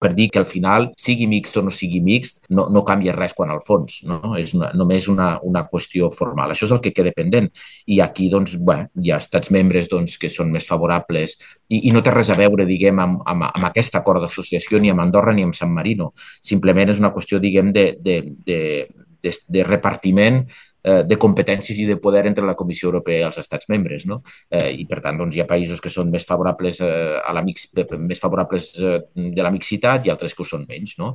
per dir que al final, sigui mixt o no sigui mixt, no canvia res quan al fons, no? És només una qüestió formal. Això és el que queda pendent. I aquí, doncs, bé, hi ha estats membres doncs, que són més favorables i no té res a veure, diguem, amb aquest acord d'associació ni amb Andorra ni amb San Marino. Simplement és una qüestió, diguem, de repartiment de competències i de poder entre la Comissió Europea i els estats membres, no? I per tant doncs, hi ha països que són més favorables més favorables de la mixitat i altres que ho són menys, no?